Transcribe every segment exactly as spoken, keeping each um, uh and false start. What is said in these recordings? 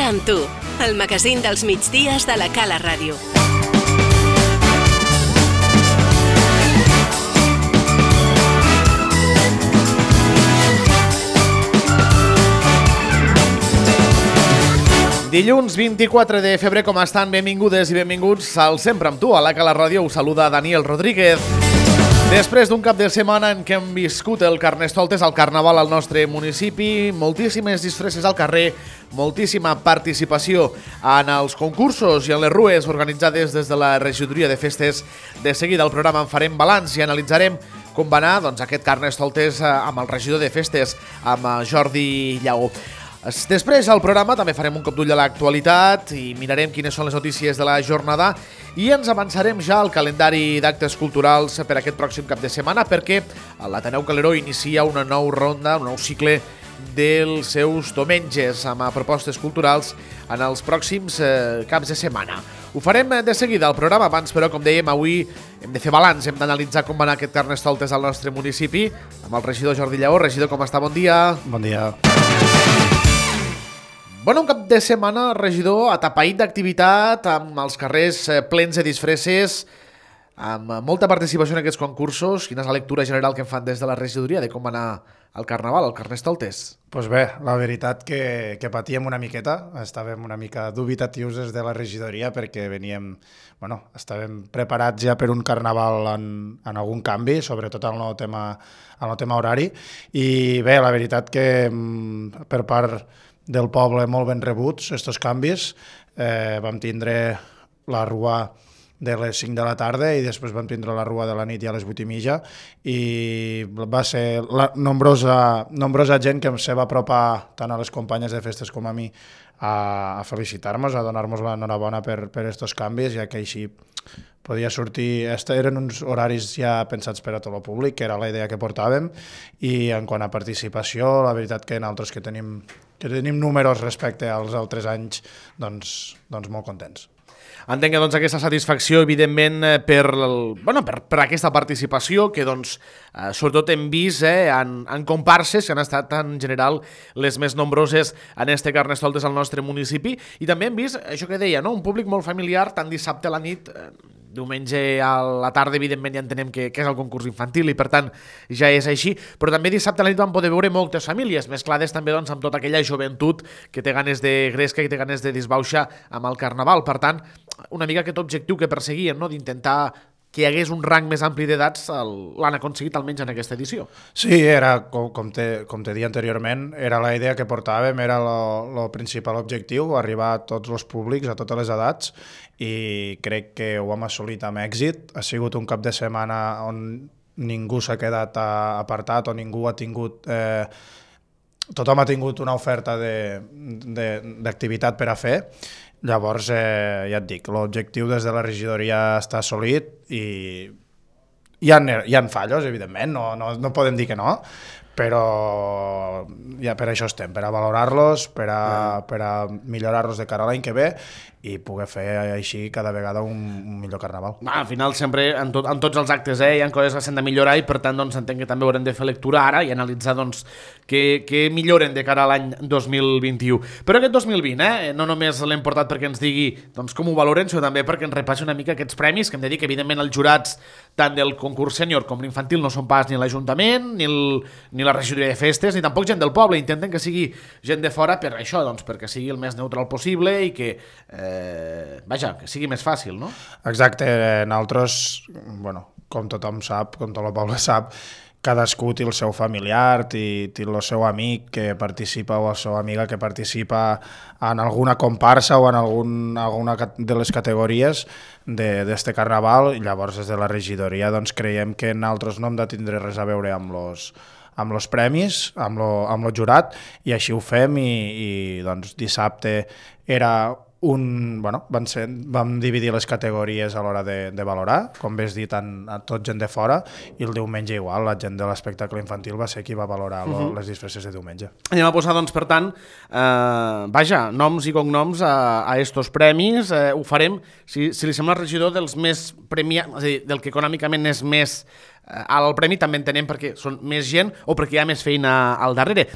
amb tu, el magazín dels migdies de la Cala Ràdio. Dilluns vint-i-quatre de febrer, com estan? Benvingudes i benvinguts al Sempre amb tu. A la Cala Ràdio us saluda Daniel Rodríguez. Després d'un cap de setmana en què hem viscut el Carnestoltes al Carnaval al nostre municipi, moltíssimes disfresses al carrer, moltíssima participació en els concursos i en les rues organitzades des de la regidoria de festes. De seguida al programa en farem balanç i analitzarem com va anar doncs, aquest Carnestoltes amb el regidor de festes, amb Jordi Lleó. Després al programa també farem un cop d'ull a l'actualitat i mirarem quines són les notícies de la jornada i ens avançarem ja al calendari d'actes culturals per aquest pròxim cap de setmana perquè l'Ateneu Caleró inicia una nova ronda, un nou cicle dels seus diumenges amb propostes culturals en els pròxims eh, caps de setmana. Ho farem de seguida al programa, abans però, com dèiem, avui hem de fer balanç, hem d'analitzar com va anar aquest Carnestoltes al nostre municipi amb el regidor Jordi Lleó. Regidor, com està? Bon dia. Bon dia. Bueno, un cap de setmana, regidor, atapeït d'activitat, amb els carrers plens de disfresses, amb molta participació en aquests concursos. Quina és la lectura general que en fan des de la regidoria de com va anar el Carnaval, el Carnestoltes? Doncs pues bé, la veritat que, que patíem una miqueta, estàvem una mica dubitatius des de la regidoria perquè veníem, bueno, estàvem preparats ja per un Carnaval en, en algun canvi, sobretot en el tema, en el tema horari, i bé, la veritat que per part del poble molt ben rebuts, estos canvis. Eh, vam tindre la rua de les cinc de la tarda i després vam tindre la rua de la nit ja a les vuit i mitja i va ser la nombrosa, nombrosa gent que se va apropar tant a les companyes de festes com a mi a, a felicitar-nos, a donar-nos l'enhorabona per, per estos canvis, ja que així podia sortir, eren uns horaris ja pensats per a tot el públic, que era la idea que portàvem, i en quant a participació, la veritat que nosaltres que tenim, que tenim números respecte als altres anys, doncs, doncs molt contents. Entenc que doncs, aquesta satisfacció, evidentment, per, el, bueno, per, per aquesta participació, que doncs, eh, sobretot hem vist eh, en, en comparses, que han estat en general les més nombroses en este Carnestoltes al nostre municipi, i també hem vist, això que deia, no? Un públic molt familiar, tant dissabte a la nit, eh, diumenge a la tarda, evidentment, ja entenem que, que és el concurs infantil i, per tant, ja és així, però també dissabte a la nit vam poder veure moltes famílies, mesclades també doncs, amb tota aquella joventut que té ganes de gresca i té ganes de disbauxa amb el Carnaval. Per tant, una mica aquest objectiu que perseguien, no? D'intentar que hi hagués un rang més ampli d'edats, l'han aconseguit almenys en aquesta edició. Sí, era, com, com, te, com te dia anteriorment, era la idea que portàvem, era el principal objectiu, arribar a tots els públics, a totes les edats, i crec que ho hem assolit amb èxit. Ha sigut un cap de setmana on ningú s'ha quedat apartat o ningú ha tingut... Eh, tothom ha tingut una oferta d'activitat per a fer. Llavors, eh, ja et dic, l'objectiu des de la regidoria està assolit i hi ha, hi ha fallos, evidentment, no, no, no podem dir que no, però ja per això estem, per a valorar-los, per a, per a millorar-los de cara a l'any que ve i poder fer així cada vegada un, un millor Carnaval. Va, al final sempre en, tot, en tots els actes eh, hi ha coses que s'han de millorar i per tant doncs, entenc que també haurem de fer lectura ara i analitzar doncs, què, què milloren de cara a l'any dos mil vint-i-u. Però aquest dos mil vint eh, no només l'hem portat perquè ens digui doncs, com ho valoren, sinó també perquè ens repassi una mica aquests premis, que hem de dir que evidentment els jurats tant del concurs sènior com l'infantil no són pas ni l'Ajuntament, ni, el, ni la regidoria de festes, ni tampoc gent del poble. Intenten que sigui gent de fora per això, doncs, perquè sigui el més neutral possible i que eh, vaja, que sigui més fàcil, no? Exacte, nosaltres, bueno, com tothom sap, com tot el poble sap, cadascú té el seu familiar, té, té el seu amic que participa o la seva amiga que participa en alguna comparsa o en algun, alguna de les categories d'este Carnaval, i llavors des de la regidoria doncs, creiem que nosaltres no hem de tindre res a veure amb los amb els premis, amb lo, amb lo jurat, i així ho fem, i, i doncs dissabte era un, bueno, van ser, vam dividir les categories a l'hora de, de valorar, com ves dit, en, a tot gent de fora, i el diumenge igual, la gent de l'espectacle infantil va ser qui va valorar lo, uh-huh. les disfresses de diumenge. Anem a posar, doncs, per tant, eh, vaja, noms i cognoms a, a estos premis, eh, ho farem, si, si li sembla, regidor, dels més premiats, és a dir, del que econòmicament és més al premi també entenem perquè són més gent o perquè hi ha més feina al darrere.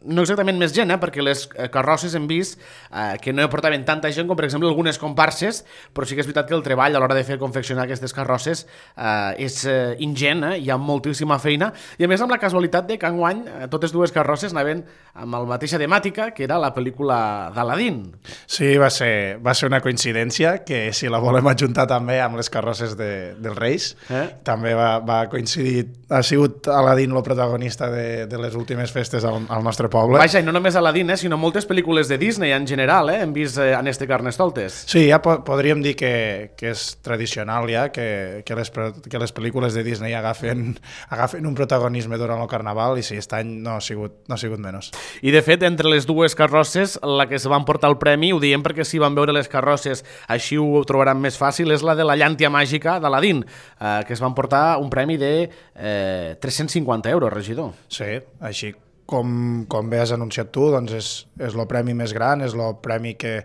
No exactament més gent, eh? Perquè les carrosses hem vist eh, que no portaven tanta gent com, per exemple, algunes comparses, però sí que és veritat que el treball a l'hora de fer confeccionar aquestes carrosses eh, és eh, ingent, eh? Hi ha moltíssima feina, i a més amb la casualitat de que enguany eh, totes dues carrosses anaven amb la mateixa temàtica, que era la pel·lícula d'Aladín. Sí, va ser, va ser una coincidència, que si la volem ajuntar també amb les carrosses de, dels Reis, eh? també va, va coincidir, ha sigut Aladín el protagonista de, de les últimes festes al, al nostre poble. Vaja, i no només Aladín, eh, sinó moltes pel·lícules de Disney en general, eh, hem vist eh, en este Carnestoltes. Sí, ja po podríem dir que, que és tradicional ja, que, que, les, que les pel·lícules de Disney agafen, agafen un protagonisme durant el Carnaval, i sí, aquest any no ha sigut, no ha sigut menys. I de fet, entre les dues carrosses, la que se van portar el premi, ho diem perquè si van veure les carrosses, així ho trobaran més fàcil, és la de la llàntia màgica d'Aladín, eh, que es van portar un premi de eh, tres-cents cinquanta euros, regidor. Sí, així com, com bé has anunciat tu, doncs és, és el premi més gran, és el premi que,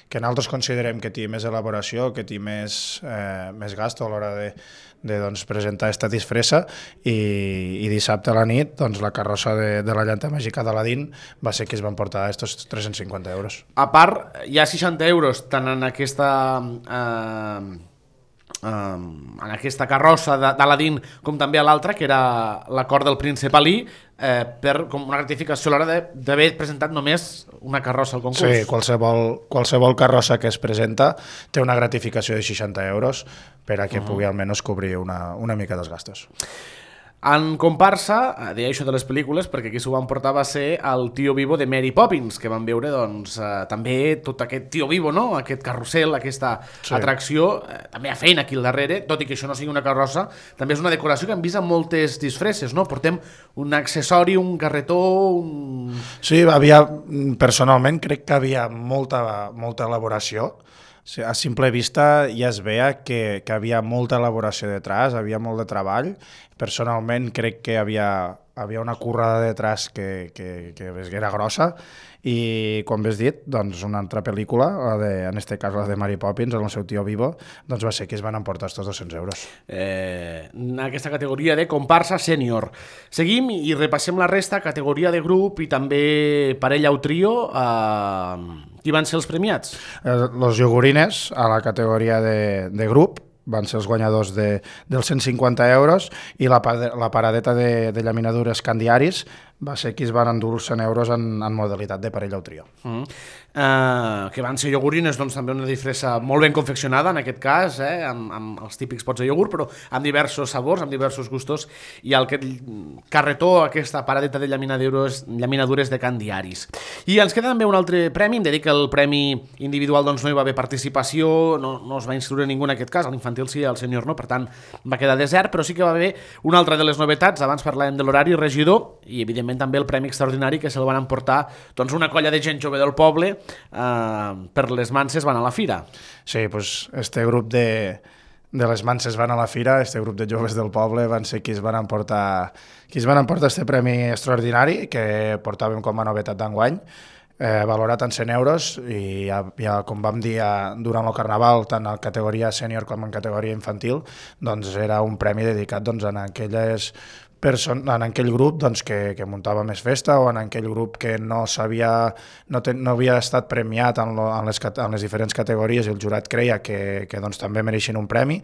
que nosaltres considerem que té més elaboració, que té més, eh, més gasto a l'hora de, de doncs, presentar aquesta disfressa, i, i dissabte a la nit doncs, la carrossa de, de la llanta màgica d'Aladín va ser que es van portar aquests tres-cents cinquanta euros. A part, hi ha seixanta euros tant en aquesta... Eh... Um, en aquesta carrossa d'Aladín com també a l'altra, que era l'acord del príncep Ali, eh, per com una gratificació a l'hora d'haver presentat només una carrossa al concurs. Sí, qualsevol, qualsevol carrossa que es presenta té una gratificació de seixanta euros per a que uh -huh. pugui almenys cobrir una, una mica dels gastos. En comparsa, deia això de les pel·lícules, perquè aquí s'ho van portar va ser el Tio Vivo de Mary Poppins, que van veure doncs, eh, també tot aquest Tio Vivo, no? Aquest carrusel, aquesta sí. atracció, eh, també hi ha feina aquí al darrere, tot i que això no sigui una carrossa, també és una decoració que hem vist amb moltes disfresses, no? Portem un accessori, un carretó... Un... Sí, havia, personalment crec que havia molta, molta elaboració. A simple vista ja es veia que, que havia molta elaboració detrás, havia molt de treball. Personalment crec que havia, havia una currada detrás que, que, que era grossa, i com bé has dit, doncs una altra pel·lícula, la de, en aquest cas la de Mary Poppins, amb el seu Tio Vivo, doncs va ser que es van emportar estos dos-cents euros. Eh, en aquesta categoria de comparsa sènior. Seguim i repassem la resta, categoria de grup i també parella o trio. Eh, qui van ser els premiats? Eh, los Iogurines, a la categoria de, de grup, van ser els guanyadors de, dels cent cinquanta euros, i la, la paradeta de, de llaminadures Candiaris va ser qui es van endur els cent euros en, en modalitat de parella o trio. Mm. Uh, que van ser iogurines, doncs també una disfressa molt ben confeccionada, en aquest cas, eh, amb, amb els típics pots de iogurt, però amb diversos sabors, amb diversos gustos, i el carretó, aquesta paradeta de llaminadures, llaminadures de Candiaris. I ens queda també un altre premi, em dedica el premi individual, doncs no hi va haver participació, no, no es va inscriure ningú en aquest cas, a l'infantil sí, al sènior no, per tant va quedar desert, però sí que va haver una altra de les novetats, abans parlàvem de l'horari, regidor, i evidentment també el premi extraordinari que se'l van emportar doncs, una colla de gent jove del poble eh, per les Manses van a la fira. Sí, doncs este grup de, de les Manses van a la fira, este grup de joves del poble van ser qui es van emportar qui es van emportar este premi extraordinari que portàvem com a novetat d'enguany, eh, valorat en cent euros, i ja, ja com vam dir ja, durant el Carnaval, tant en categoria sènior com en categoria infantil, doncs era un premi dedicat doncs, a aquelles Person, en aquell grup doncs, que, que muntava més festa, o en aquell grup que no s'havia no, no havia estat premiat en, lo, en, les, en les diferents categories, i el jurat creia que, que doncs, també mereixen un premi,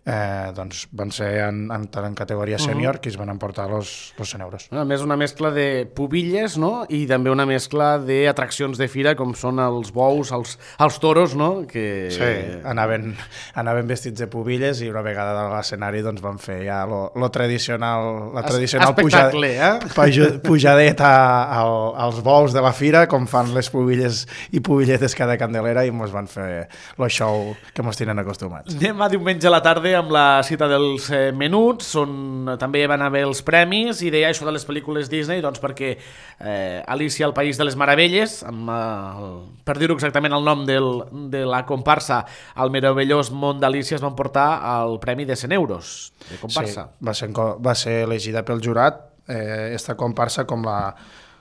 eh, doncs van ser en, en, en categoria sènior uh-huh. que es van emportar els cent euros. A més, una mescla de pubilles, no? I també una mescla d'atraccions de fira, com són els bous, els, els toros, no? Que... Sí, anaven, anaven vestits de pubilles, i una vegada a l'escenari doncs, van fer ja lo, lo tradicional, la tradicional espectacle, pujad, eh? pujadeta al, als bous de la fira, com fan les pubilles i pubilletes cada Candelera, i ens van fer el show que ens tenen acostumats. Anem a diumenge a la tarda amb la cita dels eh, menuts, on també van haver els premis, i deia això de les pel·lícules Disney, doncs perquè eh, Alicia al País de les Meravelles, amb, el, per dir-ho exactament el nom del, de la comparsa, al meravellós món d'Alicia, es van portar el premi de cent euros de comparsa. Sí, va ser, va ser elegida pel jurat eh, esta comparsa com la,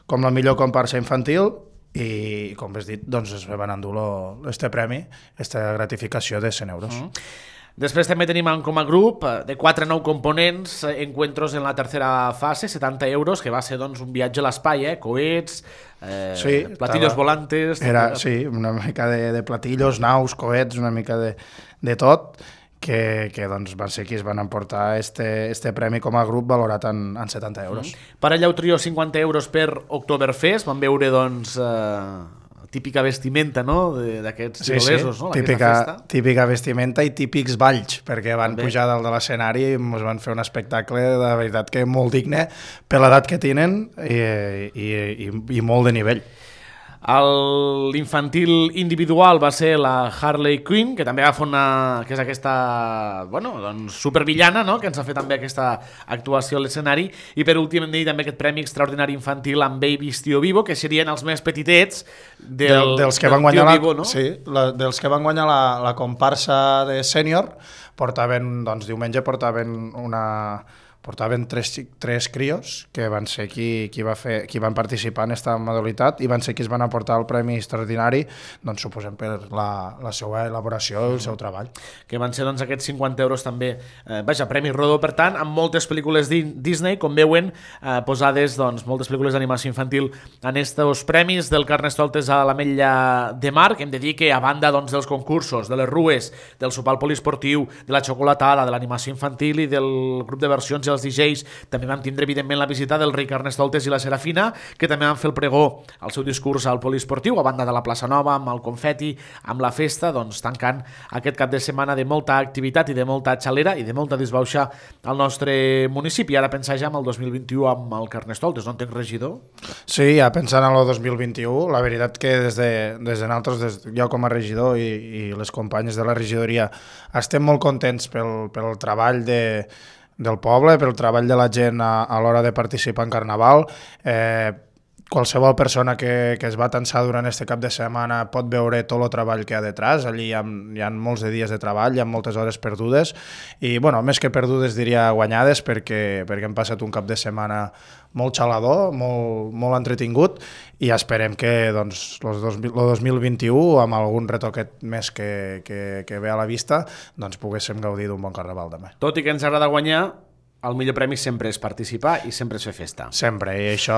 com la millor comparsa infantil, i com has dit, doncs es van endur este premi, esta gratificació de cent euros. Mm. Després també tenim com a grup de quatre a nou components encuentros en la tercera fase, setanta euros, que va ser doncs, un viatge a l'espai, eh? Coets, eh, sí, platillos estava... volantes... Era, sí, una mica de, de platillos, naus, coets, una mica de, de tot, que, que doncs, van ser qui es van emportar este, este premi com a grup valorat en, en setanta euros. Mm. Per allà ho trio cinquanta euros per Oktoberfest, vam veure doncs... Eh... típica vestimenta, no?, d'aquests tirolesos, sí, sí. no?, típica, típica vestimenta i típics balls, perquè van També. pujar dalt de l'escenari i ens van fer un espectacle de veritat que molt digne per l'edat que tenen i, i, i, i molt de nivell. L'infantil individual va ser la Harley Quinn, que també va fer una... que és aquesta, bueno, doncs supervillana, no?, que ens ha fet també aquesta actuació a l'escenari, i per últim hem de dir també aquest premi extraordinari infantil amb Babies Tío Vivo, que serien els més petitets del, del, dels que van guanyar Tío la, Vivo, no? Sí, la, dels que van guanyar la, la comparsa de sènior, portaven, doncs diumenge portaven una... portaven tres, tres crios que van ser qui, qui, va fer, qui van participar en aquesta modalitat i van ser qui es van aportar el premi extraordinari, doncs suposem per la, la seva elaboració i el seu treball. Que van ser doncs aquests cinquanta euros també, eh, vaja, Premi Rodó, per tant, amb moltes pel·lícules Disney, com veuen, eh, posades doncs, moltes pel·lícules d'animació infantil en estos premis del Carnestoltes a l'Ametlla de Mar, que hem de dir que a banda doncs, dels concursos, de les rues, del sopar poliesportiu, de la xocolatada, de l'animació infantil i del grup de versions els D Js, també vam tindre evidentment la visita del rei Carnestoltes i la Serafina, que també van fer el pregó al seu discurs al poliesportiu, a banda de la plaça Nova, amb el confeti, amb la festa, doncs tancant aquest cap de setmana de molta activitat i de molta xalera i de molta disbauxa al nostre municipi. Ara pensar ja en el dos mil vint-i-u amb el Carnestoltes, no entenc, regidor? Sí, ja pensant en el dos mil vint-i-u, la veritat que des de, des de nosaltres, des, jo com a regidor i, i les companyes de la regidoria, estem molt contents pel, pel treball de del poble, pel treball de la gent a, a l'hora de participar en Carnaval. Eh, qualsevol persona que, que es va tensar durant este cap de setmana pot veure tot el treball que hi ha detrás. Allí hi ha, hi ha molts de dies de treball, hi ha moltes hores perdudes i, bueno, més que perdudes diria guanyades, perquè, perquè hem passat un cap de setmana molt xalador, molt, molt entretingut i esperem que doncs, el dos mil vint-i-u, amb algun retoquet més que, que, que ve a la vista, doncs poguéssim gaudir d'un bon carnaval també. Tot i que ens agrada guanyar, el millor premi sempre és participar i sempre és fer festa. Sempre, i això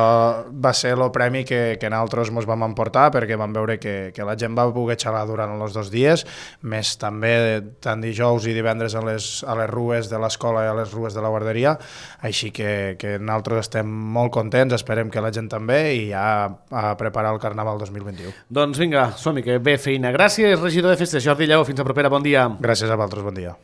va ser el premi que, que nosaltres ens vam emportar perquè vam veure que, que la gent va poder xalar durant els dos dies, més també tant dijous i divendres a les, a les rues de l'escola i a les rues de la guarderia, així que, que nosaltres estem molt contents, esperem que la gent també, i ja a preparar el Carnaval dos mil vint-i-u. Doncs vinga, som-hi, que bé feina. Gràcies, regidor de Festes, Jordi Lleó, fins a propera, bon dia. Gràcies a vosaltres, bon dia.